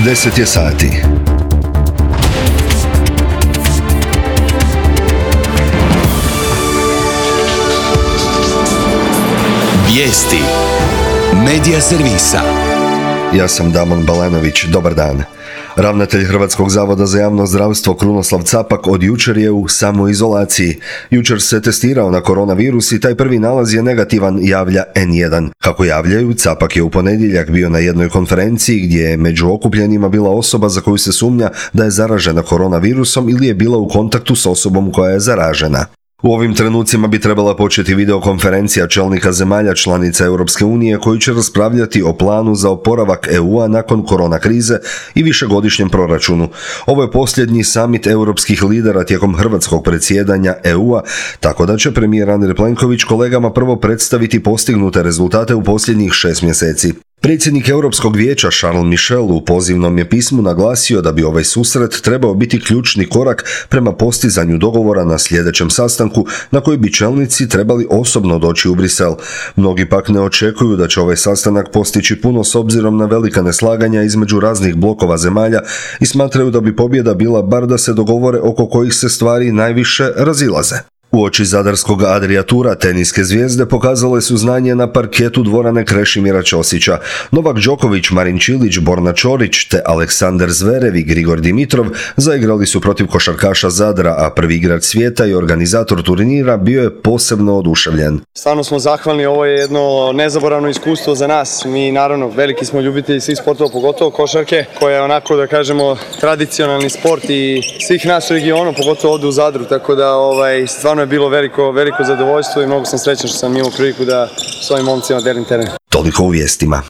10 je sati. Vijesti Medija servisa. Ja sam Damon Balenović, dobar dan. Ravnatelj Hrvatskog zavoda za javno zdravstvo Krunoslav Capak od jučer je u samoizolaciji. Jučer se testirao na koronavirus i taj prvi nalaz je negativan, javlja N1. Kako javljaju, Capak je u ponedjeljak bio na jednoj konferenciji gdje je među okupljenima bila osoba za koju se sumnja da je zaražena koronavirusom ili je bila u kontaktu s osobom koja je zaražena. U ovim trenucima bi trebala početi videokonferencija čelnika zemalja članica Europske unije koji će raspravljati o planu za oporavak EU-a nakon korona krize i višegodišnjem proračunu. Ovo je posljednji samit europskih lidera tijekom hrvatskog predsjedanja EU-a, tako da će premijer Andrej Plenković kolegama prvo predstaviti postignute rezultate u posljednjih 6 mjeseci. Predsjednik Europskog vijeća Charles Michel u pozivnom je pismu naglasio da bi ovaj susret trebao biti ključni korak prema postizanju dogovora na sljedećem sastanku na koji bi čelnici trebali osobno doći u Brisel. Mnogi pak ne očekuju da će ovaj sastanak postići puno s obzirom na velika neslaganja između raznih blokova zemalja i smatraju da bi pobjeda bila bar da se dogovore oko kojih se stvari najviše razilaze. Uoči zadarskog Adriatura teniske zvijezde pokazale su znanje na parketu dvorane Krešimira Ćosića. Novak Đoković, Marin Čilić, Borna Čorić te Aleksandar Zverev i Grigor Dimitrov zaigrali su protiv košarkaša Zadra, a prvi igrač svijeta i organizator turnira bio je posebno oduševljen. Stvarno smo zahvalni, ovo je jedno nezaboravno iskustvo za nas. Mi naravno veliki smo ljubitelji svih sportova, pogotovo košarke, koja je onako da kažemo tradicionalni sport i svih nas u regionu, pogotovo ovdje u Zadru, tako da stvarno je bilo veliko zadovoljstvo i mnogo sam srećan što sam imao priliku da s ovim momcima delim teren. Toliko u vijestima.